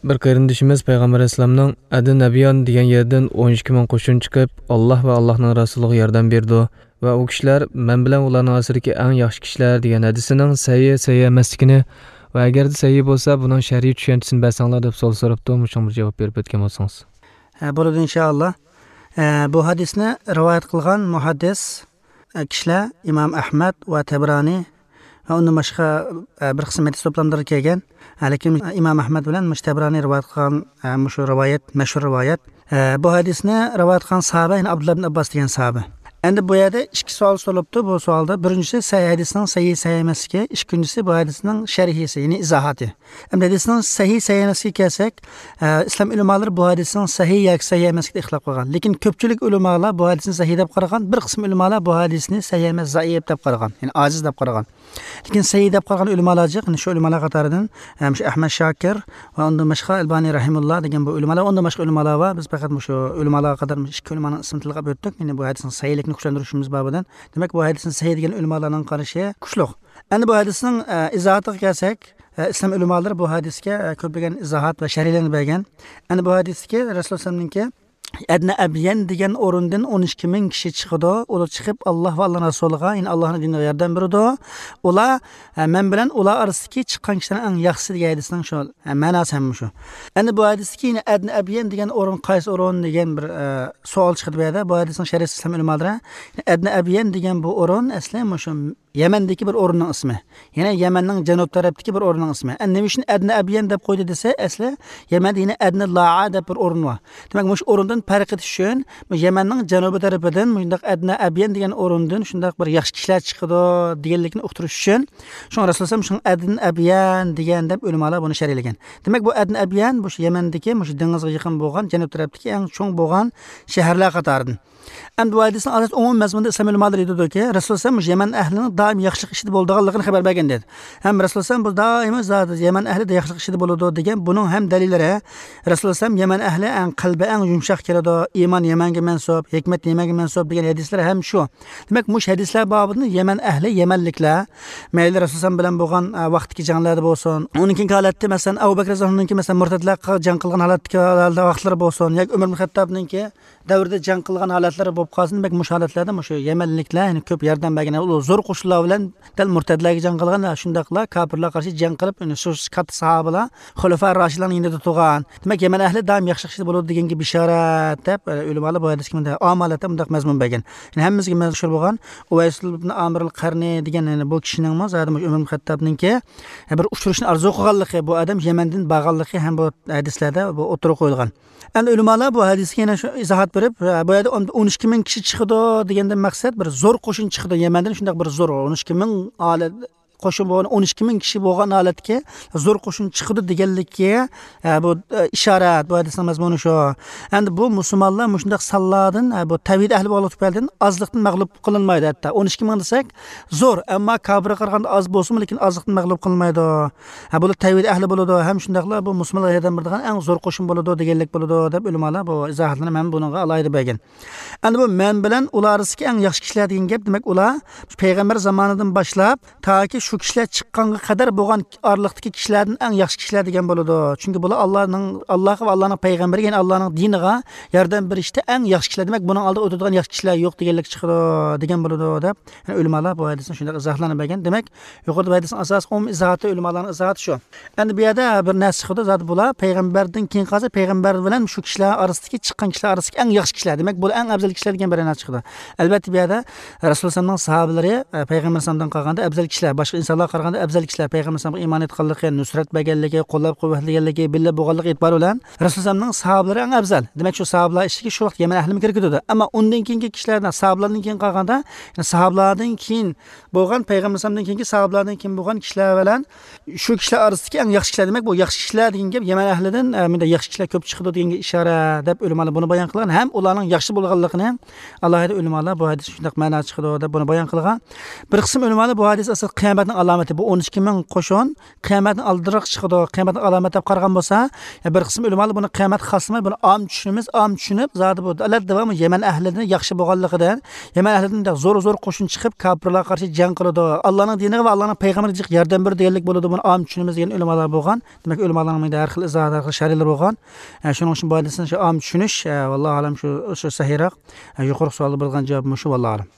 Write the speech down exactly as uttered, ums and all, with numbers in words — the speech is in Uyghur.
بىر قېرىندىشىمىز پەيغەمبەر ئەلەيھىسسالامنىڭ «ئەدن ئەبيان» دېگەن يەردىن ئون ئىككى مىڭ قوشۇن چىقىپ، ئاللاھ ۋە ئاللاھنىڭ رەسۇلىغا ياردەم بېرىدۇ ۋە ئۇ كىشىلەر مەن بىلەن ئۇلارنىڭ ئارىسىدىكى ئەڭ ياخشى كىشىلەر دېگەن ھەدىسىنىڭ سەھىھ، سەھىھ ئەمەسلىكىنى ۋە ئەگەردە سەھىھ بولسا، بۇنىڭ شەرھىي چۈشەنچىسىنى بەرسەڭلار دەپ سوئال سوراپتۇ. مۇشۇنىڭغا بىر جاۋاب بېرىپ ئۆتكەن بولسىڭىز. ھە، بولىدۇ، ئىنشائاللا. ھە، بۇ ھەدىسنى رىۋايەت قىلغان مۇھەددىس، ھە، كىشىلەر ئىمام ئەھمەد ۋە تەبرانى ۋە ئۇندىن باشقا، ھە، بىر قىسىم ھەدىس توپلاملىرى كەلگەن. ھە، لېكىن ئىمام ئەھمەد بىلەن مۇشۇ تەبرانى رىۋايەت قىلغان، ھە، مۇشۇ رىۋايەت، مەشھۇر رىۋايەت. ھە، بۇ ھەدىسنى رىۋايەت قىلغان ساھابە، يەنى ئابدۇللا ئىبن ئابباس دېگەن ساھابە. ئەمدى بۇ يەردە ئىككى سوئال سورىلىپتۇ بۇ سوئالدا. بىرىنچىسى، سەھىھ، ھەدىسنىڭ سەھىھ، سەھىھ ئەمەسلىكى. ئىككىنچىسى، بۇ ھەدىسنىڭ شەرھىسى، يەنى ئىزاھاتى. ئەمدى ھەدىسنىڭ سەھىھ، سەھىھ ئەمەسلىكىگە كەلسەك، ئە، ئىسلام ئۆلىمالىرى بۇ ھەدىسنىڭ سەھىھ ياكى سەھىھ ئەمەسلىكىدە ئىختىلاپ قىلغان. لېكىن كۆپچىلىك ئۆلىمالار بۇ ھەدىسنى سەھىھ دەپ قارىغان، بىر قىسىم ئۆلىمالار بۇ ھەدىسنى سەھىھ ئەمەس، زەئىپ دەپ قارىغان، يەنى ئاجىز دەپ قارىغان. لېكىن سەھىھ دەپ قارىغان ئۆلىمالار جىق، يەنى شۇ ئۆلىمالار قاتارىدىن، ئە، مۇشۇ ئەھمەد شاكىر ۋە ئۇندىن باشقا ئەلبانى رەھىمۇللا دېگەن بۇ ئۆلىمالار، ئۇندىن باشقا ئۆلىمالار بار. بىز پەقەت مۇشۇ ئۆلىمالارغا قاتار مۇشۇ ئىككى ئۆلىمانىڭ ئىسمىنى تىلغا ئۆتتۇق. يەنى بۇ ھەدىسنىڭ سەھىھلىكىنى كۈچلەندۈرۈشىمىز بابىدىن. دېمەك، بۇ ھەدىسنى سەھىھ دېگەن ئۆلىمالارنىڭ قارىشى كۈچلۈك. ئەمدى بۇ ھەدىسنىڭ، ئە، ئىزاھاتىغا كەلسەك، ئە، ئىسلام ئۆلىمالىرى بۇ ھەدىسكە، ئە، كۆپلىگەن ئىزاھات ۋە شەرھلەرنى بەرگەن. ئەمدى بۇ ھەدىستىكى رەسۇلۇللا ئەلەيھىسسالامنىڭكى ئەدنە ئەبيەن دېگەن ئورۇندىن ئون ئىككى مىڭ كىشى چىقىدۇ. ئۇلار چىقىپ، ئاللاھ ۋە ئاللاھنىڭ رەسۇلىغا، يەنى ئاللاھنىڭ دىنىغا ياردەم بېرىدۇ. ئۇلار، ئە، مەن بىلەن ئۇلار ئارىسىدىكى چىققان كىشىلەرنىڭ ئەڭ ياخشىسى دېگەن ھەدىسنىڭ شۇ، ئە، مەناسى ھەم مۇشۇ. ئەمدى بۇ ھەدىستىكى يەنە ئەدنە ئەبيەن دېگەن ئورۇن قايسى ئورۇن دېگەن بىر، ئە، سوئال چىقىدۇ بۇ يەردە. بۇ ھەدىسنىڭ شەرھىسى ئىسلام ئۆلىمالىرى، ئەدنە ئەبيەن دېگەن بۇ ئورۇن ئەسلى مۇشۇ يەمەندىكى بىر ئورۇننىڭ ئىسمى. يەنى يەمەننىڭ جەنۇب تەرەپتىكى بىر ئورۇننىڭ ئىسمى. ئەمدى نېمە ئۈچۈن ئەدنە ئەبيەن دەپ قويدى دېسە، ئەسلى يەمەندە يەنە ئەدنە لاا دەپ بىر ئورۇن بار. دېمەك، مۇشۇ ئورۇندىن پەرق ئېتىش ئۈچۈن، بۇ يەمەننىڭ جەنۇبى تەرىپىدىن مۇشۇنداق ئەدنە ئەبيەن دېگەن ئورۇندىن شۇنداق بىر ياخشى كىشىلەر چىقىدۇ دېگەنلىكنى ئۇقتۇرۇش ئۈچۈن، شۇڭا رەسۇلۇللا شۇڭا ئەدنە ئەبيەن دېگەن دەپ ئۆلىمالار بۇنى شەرھلىگەن. دېمەك، بۇ ئەدنە ئەبيەن مۇشۇ يەمەندىكى، مۇشۇ دېڭىزغا يېقىن بولغان، جەنۇب تەرەپتىكى ئەڭ چوڭ بولغان شەھەرلەر قاتارىدىن. ئەمدى بۇ ھەدىسنىڭ ئاساسىي ئومۇمىي مەزمۇنىدا ئىسلام ئۆلىمالىرى ئېيتىدۇكى، رەسۇلۇللا شۇ يەمەن ئەھلىنىڭ دائىم ياخشىلىق ئىچىدە بولىدىغانلىقىنى خەۋەر بەرگەن دېدى. ھەم رەسۇلۇللا بۇ دائىم زادى يەمەن ئەھلى ياخشىلىق ئىچىدە بولىدۇ دېگەن بۇنىڭ ھەم دەلىللىرى، رەسۇلۇللا يەمەن ئەھلى ئەڭ قەلبى ئەڭ يۇمشاق كېلىدۇ، ئىمان يەمەنگە مەنسۇپ، ھېكمەت يەمەنگە مەنسۇپ دېگەن ھەدىسلەر ھەم شۇ. دېمەك، مۇشۇ ھەدىسلەر بابىدىن يەمەن ئەھلى، يەمەنلىكلەر، مەيلى رەسۇلۇللا بىلەن بولغان، ئە، ۋاقىتتىكى جەڭلەردە بولسۇن، ئۇنىڭ كېيىنكى ھالەتتە، مەسىلەن، ئەبۇ بەكرى رەزىياللاھۇ ئەنھۇنىڭكى، مەسىلەن، مۇرتەتلەرگە جەڭ قىلغان ھالەتتىكى ھالەتلەر، ۋاقىتلىرى بولسۇن، ياكى ئۆمەر ئىبن خەتتابنىڭكى دەۋرىدە جەڭ قىلغان ھالەتلىرى بولۇپ قالسۇن، دېمەك، مۇشۇ ھالەتلەردە مۇشۇ يەمەنلىكلەر، يەنى كۆپ ياردەم بەرگەن، ئۇلار زور قوشۇنلار بىلەن دەل مۇرتەتلەرگە جەڭ قىلغان، شۇنداقلا كاپىرلارغا قارشى جەڭ قىلىپ، يەنى شۇ كاتتا ساھابىلار، خۇلەفا راشىدلارنىڭ يېنىدا تۇرغان. دېمەك، يەمەن ئەھلى دائىم ياخشىلىق ئىچىدە بولىدۇ دېگەنگە بېشارەت دەپ، ئۆلىمالار بۇ ھەدىسكە مۇنداق ئامالەتتە مۇنداق مەزمۇن بەرگەن. يەنى ھەممىمىزگە مەشھۇر بولغان ئۇۋەيس ئىبن ئامىر ئەل قەرنى دېگەن، يەنى بۇ كىشىنىڭمۇ زادى مۇشۇ ئۆمەر ئىبن خەتتابنىڭكى بىر ئۇچرىشىشنى ئارزۇ قىلغانلىقى، بۇ ئادەم يەمەندىن بارغانلىقى ھەم بۇ ھەدىسلەردە بۇ ئوتتۇرىغا قويۇلغان. ئەمدى ئۆلىمالار بۇ ھەدىسكە يەنە شۇ ئىزاھات بېرىپ، بۇ يەردە ئون، ئون ئىككى مىڭ كىشى چىقىدۇ دېگەندىن مەقسەت بىر زور قوشۇن چىقىدۇ. يەمەندىن شۇنداق بىر زور ئون ئىككى مىڭ ئالەت قوشۇن بولغان، ئون ئىككى مىڭ كىشى بولغان ھالەتتىكى زور قوشۇن چىقىدۇ دېگەنلىككە، ئە، بۇ، ئە، ئىشارەت، بۇ ھەدىسنىڭ مەزمۇنى شۇ. ئەمدى بۇ مۇسۇلمانلار مۇشۇنداق سانلاردىن، ئە، بۇ تەۋھىد ئەھلى بولغانلىقى تۈپەيلىدىن ئازلىقتىن مەغلۇپ قىلىنمايدۇ ھەتتا. ئون ئىككى مىڭ دېسەك زور، ئەمما كاپىرغا قارىغاندا ئاز بولسىمۇ، لېكىن ئازلىقتىن مەغلۇپ قىلىنمايدۇ. ھە، بۇلار تەۋھىد ئەھلى بولىدۇ، ھەم شۇنداقلا بۇ مۇسۇلمانلارغا ياردەم بېرىدىغان ئەڭ زور قوشۇن بولىدۇ دېگەنلىك بولىدۇ دەپ ئۆلىمالار بۇ ئىزاھاتلارنى مەن بۇنىڭغا ئالاھىدە بەرگەن. ئەمدى بۇ مەن بىلەن ئۇلار ئارىسىدىكى ئەڭ ياخشى كىشىلەر دېگەن گەپ، دېمەك، ئۇلار پەيغەمبەر زامانىدىن باشلاپ تاكى شۇ كىشىلەر چىققانغا قەدەر بولغان ئارىلىقتىكى كىشىلەردىن ئەڭ ياخشى كىشىلەر دېگەن بولىدۇ. چۈنكى بۇلار ئاللانىڭ، ئاللاغا ۋە ئاللانىڭ پەيغەمبىرىگە، يەنى ئاللانىڭ دىنىغا ياردەم بېرىشتە ئەڭ ياخشى كىشىلەر. دېمەك، بۇنىڭ ئالدىدا ئۆتىدىغان ياخشى كىشىلەر يوق دېگەنلىك چىقىدۇ دېگەن بولىدۇ دەپ، يەنى ئۆلىمالار بۇ ھەدىسنى شۇنداق ئىزاھلارنى بەرگەن. دېمەك، يۇقىرىدا بۇ ھەدىسنىڭ ئاساسلىق ئومۇمىي ئىزاھاتى، ئۆلىمالارنىڭ ئىزاھاتى شۇ. ئەمدى بۇ يەردە بىر نەرسە چىقىدۇ، زادى بۇلار پەيغەمبەردىن كېيىن قالسا، پەيغەمبەر بىلەن شۇ كىشىلەر ئارىسىدىكى، چىققان كىشىلەر ئارىسىدىكى ئەڭ ياخشى كىشىلەر، دېمەك، بۇلار ئەڭ ئەۋزەل كىشىلەر دېگەن بىر نەرسە چىقىدۇ. ئەلۋەتتە، بۇ يەردە رەسۇلۇللانىڭ ساھابىلىرى، ئە، پەيغەمبەر ئەلەيھىسسالامدىن قالغاندا ئەۋزەل كىشىلەر، باشقا ئىنسانلارغا قارىغاندا ئەۋزەل كىشىلەر، پەيغەمبەر ئەلەيھىسسالامغا ئىمان ئېيتقانلىقى، نۇسرەت بەرگەنلىكى، قوللاپ قۇۋۋەتلىگەنلىكى، بىللە بولغانلىقى ئېتىبارى بىلەن رەسۇلۇللانىڭ ساھابىلىرى ئەڭ ئەۋزەل. دېمەك، شۇ ساھابىلار ئىچىدىكى شۇ ۋاقىت يەمەن ئەھلىمۇ كىرگۈدىدۇ. ئەمما ئۇندىن كېيىنكى كىشىلەردىن، ساھابىلاردىن كېيىن قالغاندا، يەنى ساھابىلاردىن كېيىن بولغان، پەيغەمبەر ئەلەيھىسسالامدىن كېيىنكى ساھابىلاردىن كېيىن بولغان كىشىلەر بىلەن شۇ كىشىلەر ئارىسىدىكى ئەڭ ياخشى كىشىلەر، دېمەك، بۇ ياخشى كىشىلەر دېگەن گەپ يەمەن ئەھلىدىن، ئە، مۇنداق ياخشى كىشىلەر كۆپ چىقىدۇ دېگەنگە ئىشارە دەپ ئۆلىمالار بۇنى بايان قىلغان. ھەم ئۇلارنىڭ ياخشى بولغانلىقىنى ئالاھىدە ئۆلىمالار بۇ ھەدىستىن شۇنداق مەنا چىقىدۇ دەپ بۇنى بايان قىلغان. بىر قىسىم ئۆلىمالار بۇ ھەدىس ئاساسىدا قىيامەتنى ئالامىتى بۇ ئون ئىككى مىڭ قوشۇن قىيامەتنىڭ ئالدىراق چىقىدۇ، قىيامەتنىڭ ئالامەت دەپ قارىغان بولسا، يا بىر قىسىم ئۆلىمالار بۇنى قىيامەت خاس قىلماي، بۇنى ئام چۈشىنىمىز، ئام چۈشىنىپ، زادى بۇ ئەلۋەتتە داۋامى يەمەن ئەھلىدىن ياخشى بولغانلىقىدىن، يەمەن ئەھلىدىن زور زور قوشۇن چىقىپ كاپىرلارغا قارشى جەڭ قىلىدۇ، ئاللانىڭ دىنىغا ۋە ئاللانىڭ پەيغەمبىرىگە جىق ياردەم بېرىدۇ دېگەنلىك بولىدۇ، بۇنى ئام چۈشىنىمىز دېگەن ئۆلىمالار بولغان. دېمەك، ئۆلىمالارنىڭ مەيدە ھەر خىل ئىزاھاتى، ھەر خىل شەرھلىرى بولغان. ئە، شۇنىڭ ئۈچۈن بۇ ھەدىسنى شۇ ئام چۈشىنىش، ئە، ۋاللاھۇ ئالەم شۇ، شۇ سەھىيراق. ئە، يۇقىرىقى سوئالدا بولىدىغان جاۋاب مۇشۇ، ۋاللاھۇ ئالەم.